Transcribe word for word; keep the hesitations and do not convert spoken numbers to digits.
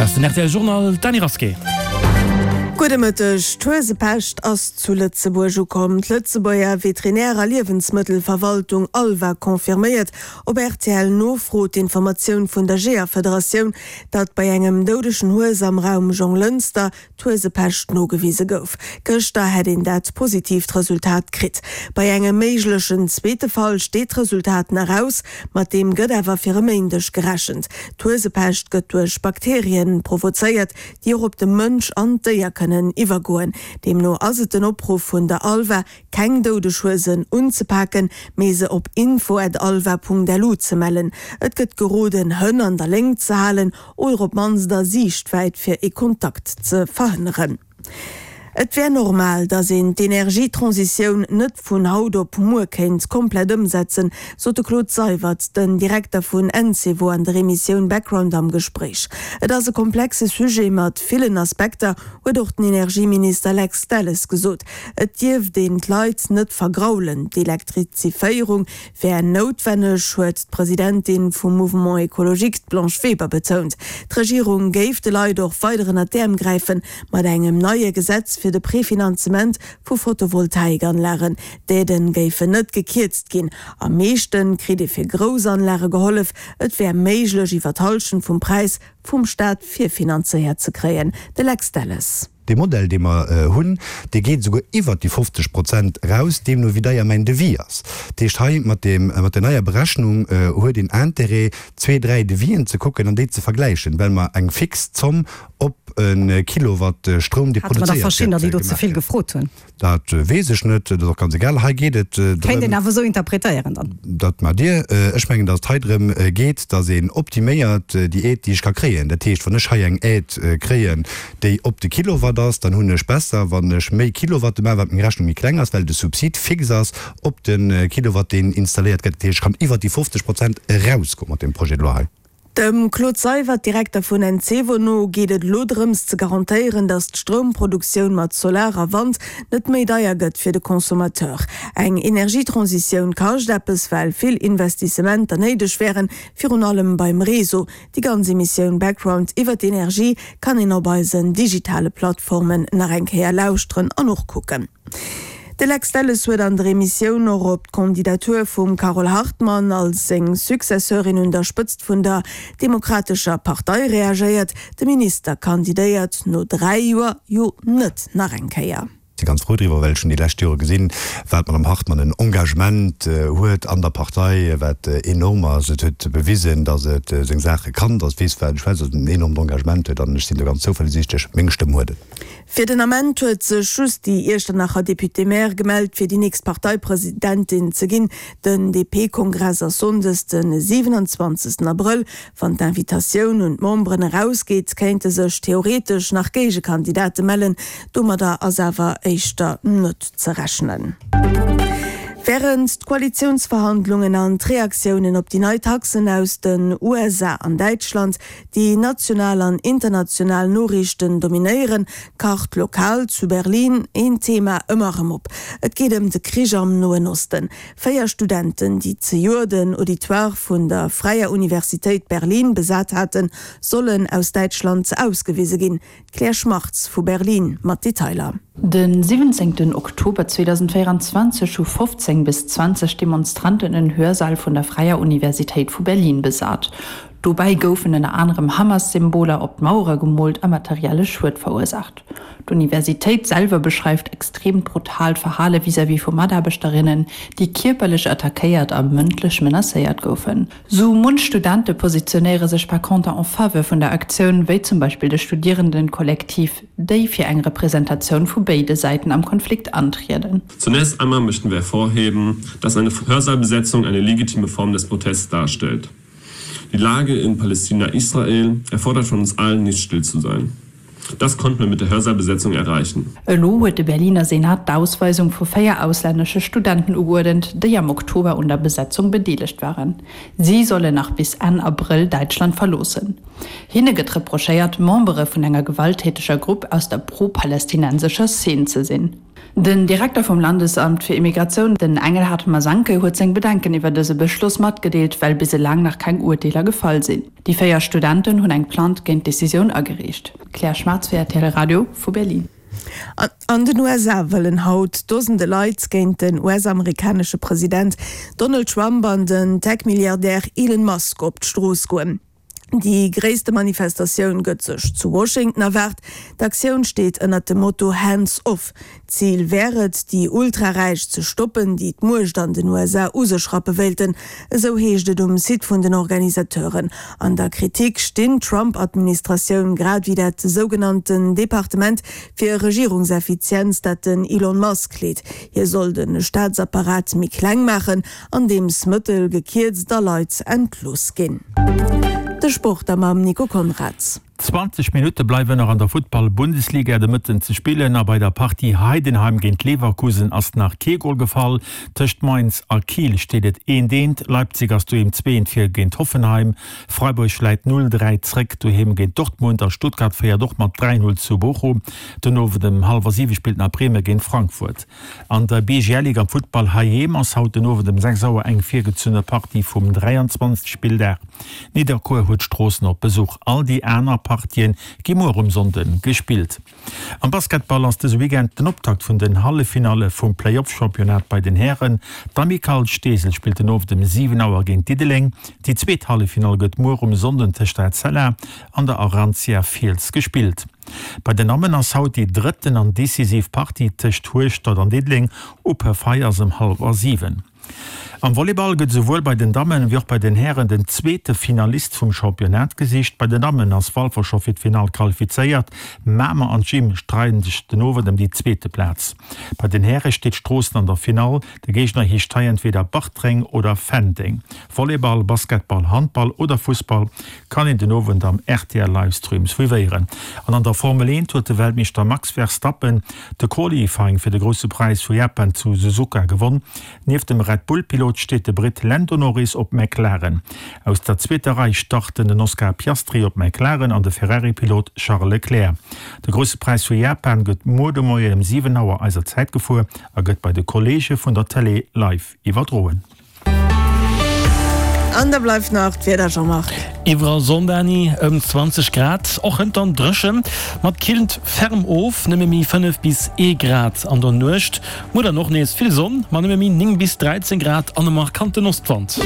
Ass den R T L Journal, d'Dany Rasqué. Gudde Mëtteg. D'Huesepescht ass zu Lëtzebuerg ukomm. D'Lëtzebuerger Veterinär a Liewensmëttelverwaltung ALVA confirméiert op R T L Nofro d'Informatioun vun der Jeeërfederatioun, datt bei engem doudegen Hues am Raum Jonglënster d'Huesepescht nogewise gouf. Gëschter hätt een dat positiivt Resultat kritt. Bei engem méiglechen zweete Fall steet d'Resultat nach aus, mat deem gëtt awer fir e Méindeg gerechent. D'Huesepescht gëtt duerch Bakterien provozéiert, déi och op de Mënsch an d'Déier kënnen iwwergoen. Deemno ass et den Opruff vun der ALVA, keng doudeg Huesen unzepaken, mee se op info at alva Punkt lu ze mellen. Et gëtt geroden, Hënn an der Léngt ze halen oder op d'mannst a Siichtwäit, fir ee Kontakt ze verhënneren. Et wär normal, datt een d'Energietransitioun net vun haut op muer kéint komplett ëmsetzen, sot de Claude Seywert, den Direkter vun Encevo an der Emissioun Background am Gespréich. Et ass e komplexe Sujet mat villen Aspekter, huet och den Energieminister Lex Delles gesot. Et dierft een d'Leit net vergraulen. D'Elektrifizéierung wär noutwenneg, huet d'Presidentin vum Mouvement Écologique, d'Blanche Weber, betount. D'Regierung géif de Leit och weider ënnert d'Äerm gräifen, mat engem neie Gesetz fir de Prefinanzement vu Photovoltaikanlagen. D'Aiden géifen net gekierzt ginn. Am meeschte kritt ee fir grouss Anlage gehollef. Et wär méiglech, iwwer d'Hallschent vum Präis vum Staat virfinanzéiert ze kréien. De Lex Delles. Dee Modell, dee mer hunn, dee geet esouguer iwwert déi fofzeg Prozent eraus, deemno wéi deier mäin Devis ass. Dat heescht, hei mat deem, mat der neier Berechnung huet een Intérêt, zwee, dräi Devisen ze kucken an déi ze vergläichen, well mer eng fix Zomm op e Kilowatt Stroum, dee Hate mer da produzéiert verschiddener, gëtt, déi do ze gemaach vill gëtt. gefrot hunn? Dat weess ech net, dat ass och ganz egal. Hei geet et Kéint drëm. een awer esou interpretéieren dann. Dat maacht Dir. Ech mengen, datt et hei drëm geet, datt een optiméiert déi Aide, déi ech ka kréien. Dat heescht, wann ech hei eng Aide kréien, déi op de Kilowatt ass, dann hunn ech besser, wann ech méi Kilowatte maachen, wat meng Rechnung méi kleng ass, well de Subsid fix ass op de Kilowatt, deen installéiert gëtt. Dat heescht, ech kann iwwert déi fofzeg Prozent erausgoen mat deem Projet de loi hei. Dem Claude Seywert, Direkter vun Encevo no, geet et elo drëms ze garantéieren, datt d'Stroumproduktioun mat Solar a Wand net méi deier gëtt fir de Consommateur. Eng Energietransitioun kascht eppes, well vill Investissementer néideg wären, virun allem beim Réseau. Déi ganz Emissioun Background iwwer d'Energie kann een op eisen digitale Plattformen nach eng Kéier lauschteren an och kucken. De Lex Delles huet an der Emissioun och op d'Kandidatur vum Carole Hartmann als seng Successeurin un der Spëtzt vun der Demokratescher Partei reagéiert. De Minister kandidéiert no dräi Joer jo net nach eng Kéier. Si ganz frou driwwer, well ech hunn déi lescht Jore gesinn, wat d'Madame Hartmann en Engagement huet an der Partei, wat enorm ass. Et huet bewisen, datt et seng Saache kann, datt et weess, wat et schwätzt, datt et en enormt Engagement huet an ech sinn do ganz zouversiichtlech, meng Stëmm huet et. Fir den Ament huet sech just déi Iechternacher Député-Maire gemellt, fir déi nächst Parteipresidentin ze ginn. Den D P-Kongress ass sonndes de siwenanzwanzegsten Abrëll. Wann d'Invitatioun un d'Memberen erausgeet, kéinte sech theoretesch nach Géigekandidate mellen. Domadder ass awer éischter net ze rechnen. Wärend d'Koalitiounsverhandlungen an d'Reaktiounen op déi nei Taxen aus den U S A an Däitschland déi national an international Noriichten dominéieren, kacht lokal zu Berlin een Thema ëmmer erëm op. Et geet ëm de Krich am Noen Osten. Véier Studenten, déi zejoert den Auditoire vun der Fräier Universitéit Berlin besat haten, sollen aus Däitschland ausgewise ginn. D'Claire Schmartz vu Berlin mat Detailer. Den siwwenzéngten Oktober zweedausendvéieranzwanzeg hu fofzéng bis zwanzeg Demonstranten en Hörsaal vun der Fräier Universitéit vu Berlin besat. Dobäi goufen ënner anerem Hamas-Symboler op d'Mauere gemoolt a materielle Schued verursaacht. D'Universitéit selwer beschreift extreemt brutaalt Verhale vis-à-vis vu Mataarbechterinnen, déi kierperlech attackéiert a mëndlech menacéiert goufen. Sou munch Studente positionéiere sech par conter en faveur vun der Aktioun, wéi zum Beispill de Studierendenkollektiv, déi fir eng Representatioun vu béide Säiten am Konflikt antrieden. Zunächst einmal möchten wir hervorheben, dass eine Hörsaalbesetzung eine legitime Form des Protests darstellt. Die Lage in Palästina-Israel erfordert von uns allen, nicht still zu sein. Das konnten wir mit der Hörsaalbesetzung erreichen. Elo huet de Berliner Senat d'Ausweisung vu véier auslännesche Studenten ugeuerdent, déi am Oktober un der Besetzung bedeelegt waren. Si sollen nach bis Enn Abrëll Däitschland verloossen. Hinne gëtt reprochéiert, Membere vun enger gewalttäteger Grupp aus der pro-palästinensescher Szene ze sinn. Den Direkter vum Landesamt fir Immigratioun, den Engelhard Masanke, huet seng Bedenken iwwer dëse Beschloss matgedeelt, well bis eleng nach keng Urteeler gefall sinn. Déi véier Studenten hunn eng Plainte géint d'Decisioun agereecht. Claire Schmartz fir rtl Radio vu Berlin. An den U S A wëllen haut Dosende Leit géint den U S-amerikanesche President Donald Trump an den Tech-Milliardär Elon Musk op d'Strooss goen. Déi gréisste Manifestatioun gëtt sech zu Washington erwaart. D'Aktioun steet ënnert dem Motto Hands Off. Zil wär et, déi Ultraräich ze stoppen, déi d'Muecht an den U S A u sech rappe wéilten, esou heescht et um Site vun den Organisateuren. An der Kritik stinn d'Trump-Administratioun grad wéi dat sougenannten Departement fir Regierungseffizienz, dat den Elon Musk leet. Hie soll de Staatsapparat méi kleng maachen, andeems Mëttel gekierzt a Leit entlooss ginn. De Sport da mam Nico Konrads. zwanzeg Minutte bleiwen nach an der Futtball-Bundesliga de Mëtten ze spillen a bei der Partie Heidenheim géint Leverkusen ass nach kee Gol gefall. Tëscht Mainz a Kiel steet et eent eent, Leipzig ass doheem zwee eent vir géint Hoffenheim, Freiburg läit null dräi zréck doheem géint Dortmund a Stuttgart féiert och mat dräi null zu Bochum. Den Owend ëm hallwer siwe spillt nach Bremen géint Frankfurt. An der B G L Ligue am Futtball heiheem ass haut den Owend ëm sechs Auer eng virgezunne Partie vum dräianzwanzegste Spilldag. Nidderkuer huet Stroossen op Besuch. All déi aner Partien gi muer um Sonnden gespillt. Am Basketball ass dëse Weekend den Optakt vun den Halleffinalle vum Playoff-Championnat bei den Hären. D'Amicale Steesel spillt den Owend um siwen Auer géint Diddeleng. Déi zweet Halleffinall gëtt muer um Sonnden tëscht der Etzella an der Arantia Fiels gespillt. Bei den Dammen ass haut déi drëtten an decisiv Partie tëscht Hueschtert an Diddeleng. Uperfei ass ëm hallwer siwen. Am Volleyball gëtt souwuel bei den Dammen wéi och bei den Hären den zweete Finalist vum Championnat gesicht. Bei den Dammen ass Walfer scho fir d'Finall qualifizéiert. Mamer an Gym streiden sech den Owend ëm déi zweete Plaz. Bei den Häre steet Stroossen an der Finall. De Géigner heescht hei entweder Bartreng oder Fenteng. Volleyball, Basketball, Handball oder Fussball kann een den Owend am R T L-Livestream suivéieren. An an der Formel eent huet de Weltmeeschter Max Verstappen de Qualifying fir de Grousse Präis vu Japan zu Suzuka gewonn. Nieft dem Red Bull-Pilot steet de Brit Lando Norris op McLaren. Aus der zweeter Rei starten den Oscar Piastri op McLaren an de Ferrari-Pilot Charles Leclerc. De Grousse Präis vu Japan gëtt muer de Moien ëm siwen Auer eiser Zäit gefuer a gëtt bei de Kolleege vun der Télé live iwwerdroen. An da bleift nach d'Wieder, Jean-Marc. Iwwerall Sonn, Dani, ëm zwanzeg Grad, och hënt dann dréchen, mat killt ferm of, nëmme méi fënnef bis ee Grad an der Nuecht. Muer dann och nees vill Sonn, ma nëmme méi néng bis dräizéng Grad an e markanten Ostwand.